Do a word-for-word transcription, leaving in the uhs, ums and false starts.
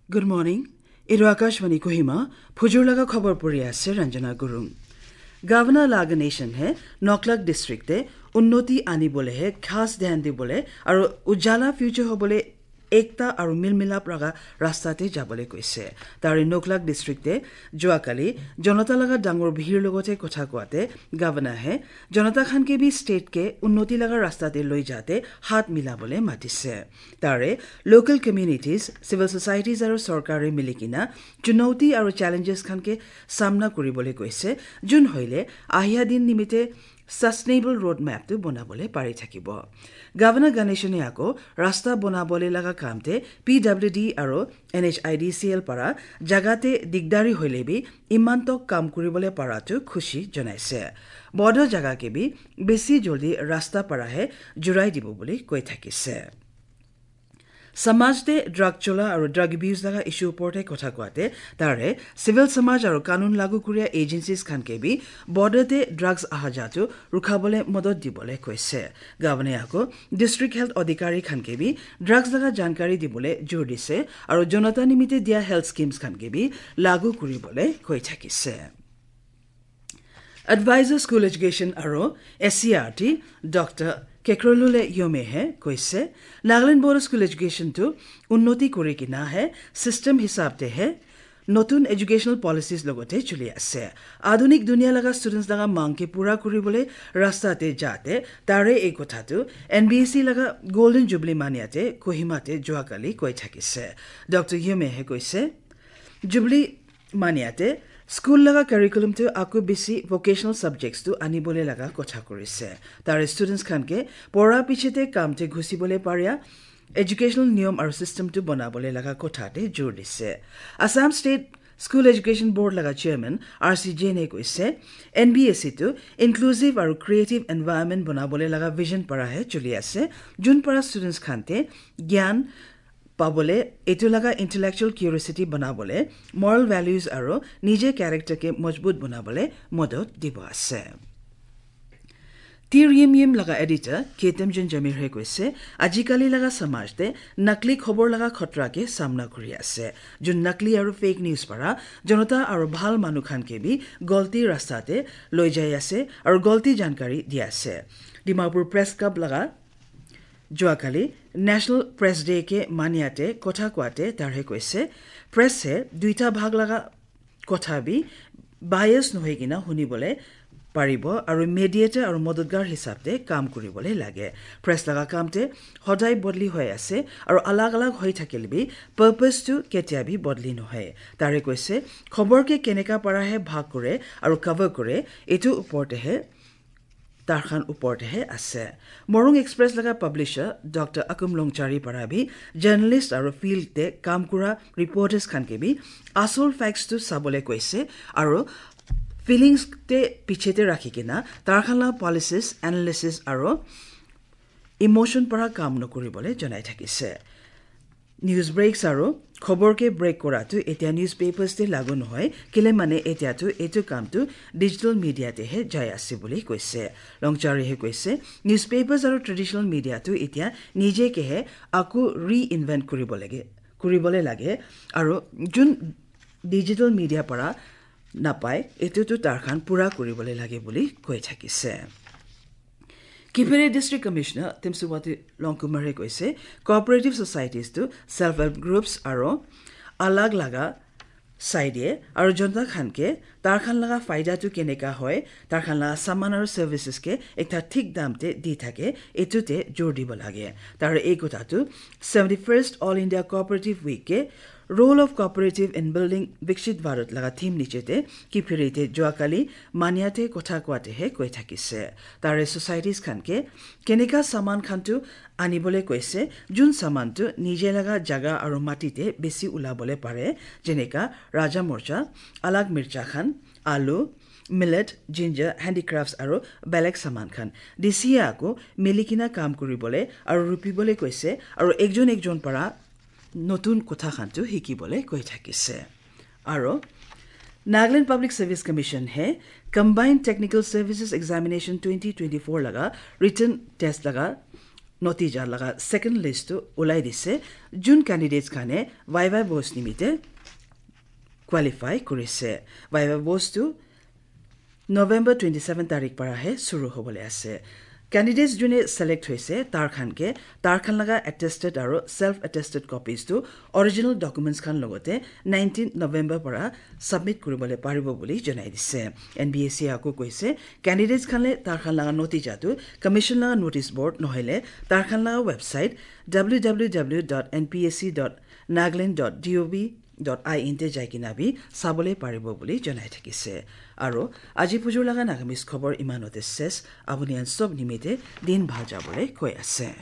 Good morning. Iro Akashvani Kohima, phujur laga khobor puri ase Ranjana Gurung. Governor laga nation he Noklak district te unnoti ani bole he khas dhyan di bole aro ujala future ho bole ekta aro mil milap laga rasta te jabole koise. Tare Noklak district te juakali jonota laga dangor bhir logote kotha koate governor he jonota khan ke bi state ke unnoti laga rasta te loi jate hat mila bole matise. Tare local communities, civil societies aro sorkar re milikina chunauti aro challenges khan ke samna kuri bole koise. Jun hoile ahia din nimite sustainable road map tu bona bole pari thakibo. Governor Ganesh ne ako rasta bona bole laga kam te P W D aro N H I D C L para jagate digdari hoile bi imantok kam kuri bole para tu khushi jonaise. Bodo jaga ke bi besi joldi rasta para he jurai dibo bole koi thakise. Samaj te drug chola aro drug abuse laga issue porte kotha koate tare civil samaj aro kanun lagu kuria agencies khan ke bi border te drugs aha jatu rukha bole modot di bole koise. Gabane ako district health adhikari khan ke bi drugs laga jankari di bole jor dise aro jonata nimite dia health schemes khan ke bi lagu kuri bole koi thakise. Advisor School Education aro S C R T Doctor Kekrolule Yome he koise, Nagaland Board School Education tu unnoti kuri kina he system hisab te he notun educational policies logote chuli ase. Adunik dunia laga students laga mang ke pura kuri bole rasta te jate tare ei kotha tu N B S C laga Golden Jubilee mania te Kohima te juakali koi thakise. Doctor Yome he koise, Jubilee maniate school laga curriculum tu aku bisi vocational subjects tu ani bole laga kotha kurise. Tare students khan ke pora piche te kam te ghusi bole paria educational niyom aru system tu bona bole laga kotha te jor dise. Assam State School Education Board laga chairman R C Jain e koise, N B S C tu inclusive aru creative environment bona bole laga vision para he chuli ase, jun para students khan te gyan pabole, etu laga intellectual curiosity banabole, moral values aro nije character ke majbut banabole modot dibo ase. Tir Yim Yim laga editor Ketem Jun Jamir he koise, ajikali laga samaj te nakli khobor laga khatra ke samna kuri ase. Jun nakli aro fake news para jonota aro bhal manu khan ke bi golti rasta te loi jai ase aro golti jankari di ase. Dimapur Press Club laga juakali National Press Day ke maniate kotha kwate tarhe koise, press he duita bhag laga kotha bi bias nohoi kina huni bole paribo aru mediator aru modotgar hisab te kam kuri bole lage. Press laga kam te hodai bodli hoi ase aru alag alag hoi thakil bi purpose tu ketia bi bodli nohoi. Tare koise khobor ke keneka para he bhag kore aru cover kore, etu upor te he tarkhan upor te he ase. Morung Express laga publisher Doctor Akum Longchari para bi journalist aru field te kam kura reporters khan ke bi asol facts tu sabole koise aru feelings te piche te rakhi kena tarkhan la policies, analysis aru emotion para kam no kuri bole janai thakise. News breaks aro khobor ke break kora tu etia newspapers te lagu nohoi, kile mane etia tu etu kam tu digital media te he jai ase bole koise. Longchari he koise, newspapers aro traditional media tu etia nije ke he aku reinvent kuri bole ge, kuri bole lage, aro jun digital media para napai, etu tu tarkhan pura kuri bole lage bole koi thakise. Kiphire District Commissioner Timsuwati Longkumar he koise, cooperative societies tu self-help groups aro alag laga saide aro jonta khan ke tarkhan laga faida tu keneka hoi, tarkhan laga saman aro services ke ekta thik dam te di thake, etu te jor dibo lage. Tar ei kotha tu seventy-first All India Cooperative Week ke Role of Cooperative in Building Viksit Bharat laga theme niche te kiphire te juakali maniate kotha kwate he koi thakise. Tare societies khan ke keneka saman khan tu ani bole koise, jun saman tu nije laga jaga aru mati te besi ula bole pare, jeneka raja morcha, alag mircha khan, alu, millet, ginger, handicrafts aru belek saman khan. D C A ako milikina kam kuri bole aru rupi bole koise, aru ekjon ekjon para notun kotha khan tu hiki bole koi thakise. Aro Nagaland Public Service Commission he Combined Technical Services Examination twenty twenty-four laga written test laga natija laga second list tu ulai dise. Jun candidates khane viva post nimite qualify kurise. Viva post tu November twenty-seven tarik para he suru hobole ase. Candidates june select hoise tar khan ke tar khan laga attested aro self attested copies tu original documents khan logote nineteen November para submit kuribole paribo buli janai dise. N B S C ako koise candidates khan le tar khan laga natija tu commission laga notice board nohele tar khan laga website www.npsc.nagaland.gov dot I N te jaikinabi sabole paribo buli janai thakise. Aro aji pujur laga Nagamese khobor imanote ses. Aboni an sob nimite din bhal jabole koi ase.